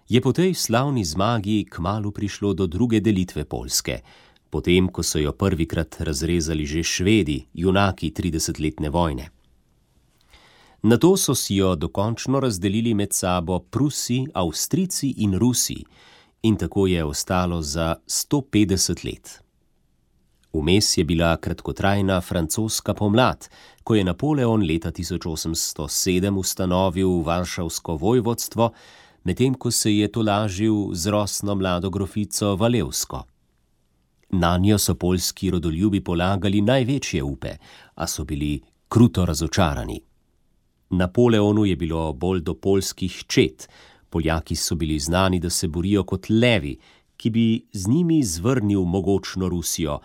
je po tej slavni zmagi kmalu prišlo do druge delitve Poljske, potem ko so jo prvikrat razrezali že Švedi, junaki 30-letne vojne. Nato so si jo dokončno razdelili med sabo Prusi, Avstrijci in Rusi in tako je ostalo za 150 let. Vmes je bila kratkotrajna francoska pomlad, ko je Napoleon leta 1807 ustanovil Varšavsko vojvodstvo, medtem ko se je tolažil z rosno mlado grofico Valevsko. Nanjo so poljski rodoljubi polagali največje upe, a so bili kruto razočarani. Napoleonu je bilo bolj do poljskih čet. Poljaki so bili znani, da se borijo kot levi, ki bi z njimi zvrnil mogočno Rusijo,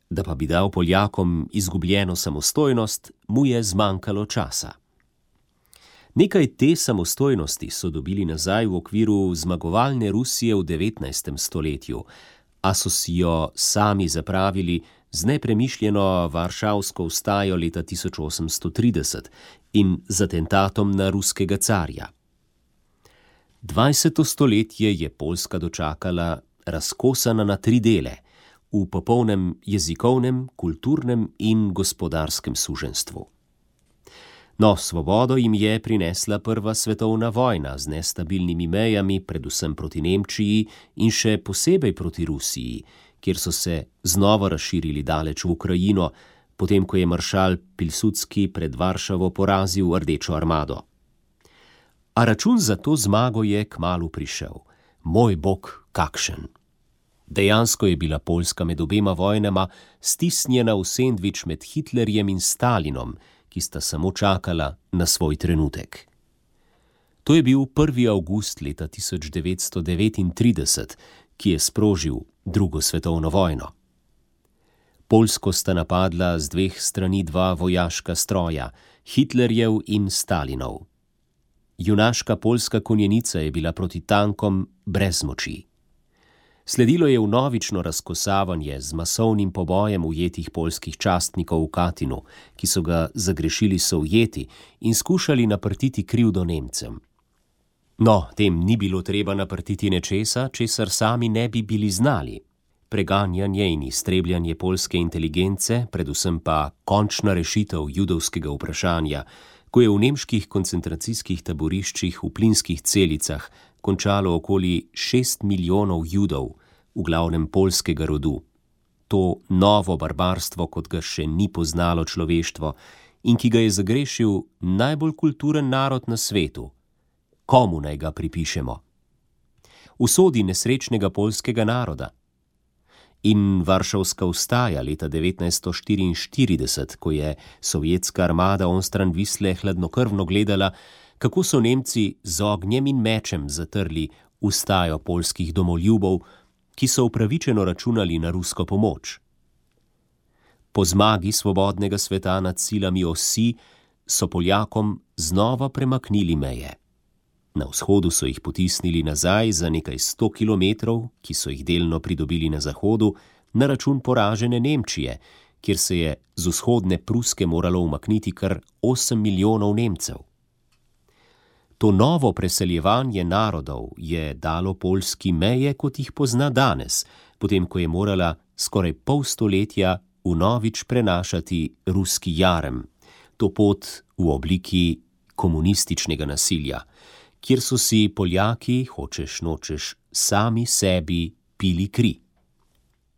da pa bi dal Poljakom izgubljeno samostojnost, mu je zmanjkalo časa. Nekaj te samostojnosti so dobili nazaj v okviru zmagovalne Rusije v 19. stoletju, a so si jo sami zapravili z nepremišljeno varšavsko vstajo leta 1830 in z atentatom na ruskega carja. 20. stoletje je Poljska dočakala razkosana na 3 dele, v popolnem jezikovnem, kulturnem in gospodarskem suženjstvu. No, svobodo jim je prinesla prva svetovna vojna z nestabilnimi mejami, predvsem proti Nemčiji in še posebej proti Rusiji, kjer so se znova razširili daleč v Ukrajino, potem ko je maršal Pilsudski pred Varšavo porazil Rdečo armado. A račun za to zmago je kmalu prišel. Moj bog, kakšen! Dejansko je bila Poljska med obema vojnama stisnjena v sendvič med Hitlerjem in Stalinom, ki sta samo čakala na svoj trenutek. To je bil 1. avgust leta 1939, ki je sprožil drugo svetovno vojno. Poljsko sta napadla z 2 strani 2 vojaška stroja, Hitlerjev in Stalinov. Junaška poljska konjenica je bila proti tankom brez moči. Sledilo je vnovično razkosavanje z masovnim pobojem ujetih poljskih častnikov v Katinu, ki so ga zagrešili Sovjeti in skušali naprtiti krivdo Nemcem. No, tem ni bilo treba naprtiti nečesa, česar sami ne bi bili znali. Preganjanje in iztrebljanje poljske inteligence, predvsem pa končna rešitev judovskega vprašanja, ko je v nemških koncentracijskih taboriščih v plinskih celicah končalo okoli 6 milijonov Judov, v glavnem poljskega rodu. To novo barbarstvo, kot ga še ni poznalo človeštvo in ki ga je zagrešil najbolj kulturen narod na svetu. Komu naj ga pripišemo? Usodi nesrečnega poljskega naroda. In Varšavska vstaja leta 1944, ko je sovjetska armada onstran Visle hladnokrvno gledala, kako so Nemci z ognjem in mečem zatrli vstajo poljskih domoljubov, ki so upravičeno računali na rusko pomoč. Po zmagi svobodnega sveta nad silami osi so Poljakom znova premaknili meje. Na vzhodu so jih potisnili nazaj za nekaj 100 kilometrov, ki so jih delno pridobili na zahodu, na račun poražene Nemčije, kjer se je z vzhodne Pruske moralo umakniti kar 8 milijonov Nemcev. To novo preseljevanje narodov je dalo Poljski meje, kot jih pozna danes, potem ko je morala skoraj pol stoletja vnovič prenašati ruski jarem, to pot v obliki komunističnega nasilja, kjer so si Poljaki, hočeš nočeš, sami sebi pili kri.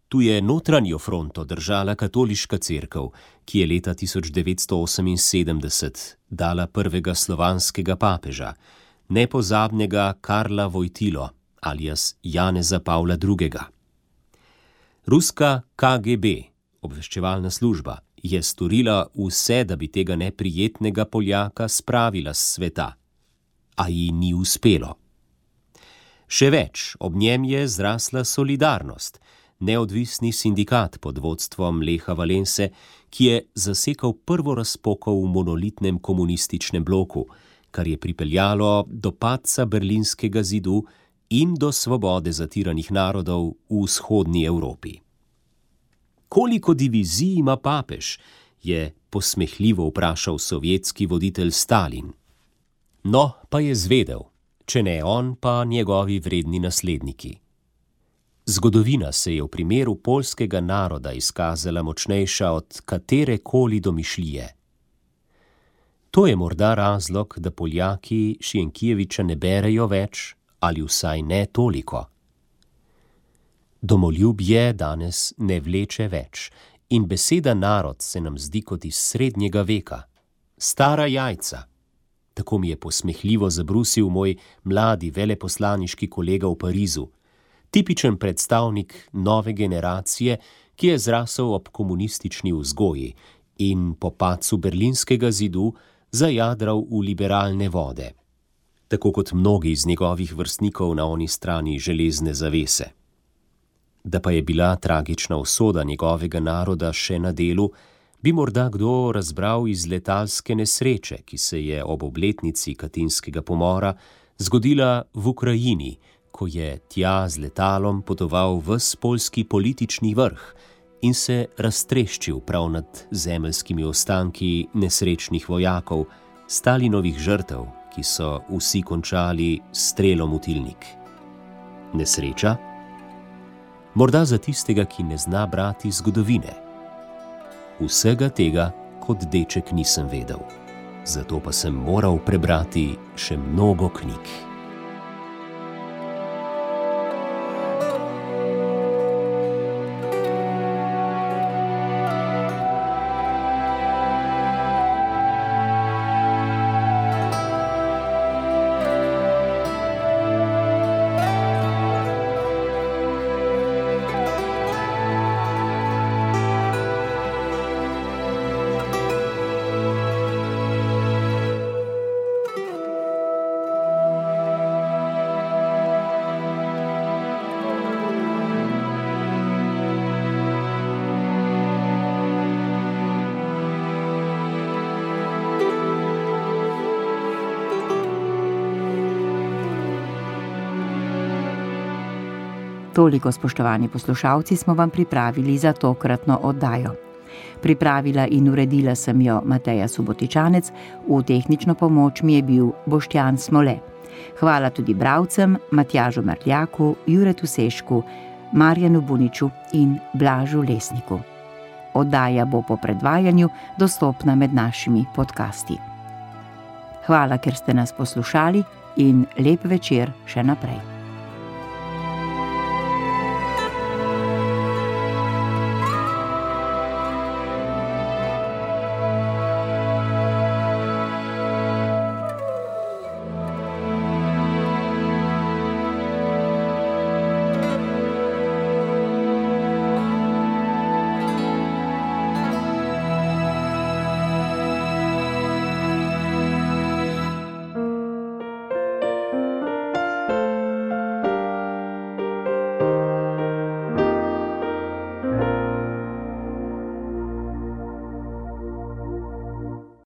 Tu je notranjo fronto držala katoliška cerkev, ki je leta 1978 dala prvega slovanskega papeža, nepozabnega Karla Vojtilo, alias Janeza Pavla II. Ruska KGB, obveščevalna služba, je storila vse, da bi tega neprijetnega Poljaka spravila s sveta, a ji ni uspelo. Še več, ob njem je zrasla Solidarnost, neodvisni sindikat pod vodstvom Lecha Valense, ki je zasekal prvo razpoko v monolitnem komunističnem bloku, kar je pripeljalo do padca Berlinskega zidu in do svobode zatiranih narodov v vzhodni Evropi. Koliko divizij ima papež, je posmehljivo vprašal sovjetski voditelj Stalin. No, pa je zvedel, če ne on, pa njegovi vredni nasledniki. Zgodovina se je v primeru poljskega naroda izkazala močnejša od katerekoli domišljije. To je morda razlog, da Poljaki Sienkiewicza ne berejo več, ali vsaj ne toliko. Domoljubje danes ne vleče več in beseda narod se nam zdi kot iz srednjega veka. Stara jajca. Tako mi je posmehljivo zabrusil moj mladi veleposlaniški kolega v Parizu, tipičen predstavnik nove generacije, ki je zrasel ob komunistični vzgoji in po padcu Berlinskega zidu zajadral v liberalne vode, tako kot mnogi iz njegovih vrstnikov na oni strani železne zavese. Da pa je bila tragična usoda njegovega naroda še na delu, bi morda kdo razbral iz letalske nesreče, ki se je ob obletnici Katinskega pomora zgodila v Ukrajini, ko je tja z letalom potoval ves poljski politični vrh in se raztreščil prav nad zemeljskimi ostanki nesrečnih vojakov, Stalinovih žrtev, ki so vsi končali s strelom v tilnik. Nesreča? Morda za tistega, ki ne zna brati zgodovine. Vsega tega kot deček nisem vedel, zato pa sem moral prebrati še mnogo knjig. Toliko, spoštovani poslušalci, smo vam pripravili za tokratno oddajo. Pripravila in uredila sem jo Mateja Subotičanec, v tehnično pomoč mi je bil Boštjan Smole. Hvala tudi bralcem Matjažu Marljaku, Juretu Sešku, Marjanu Buniču in Blažu Lesniku. Oddaja bo po predvajanju dostopna med našimi podcasti. Hvala, ker ste nas poslušali in lep večer še naprej.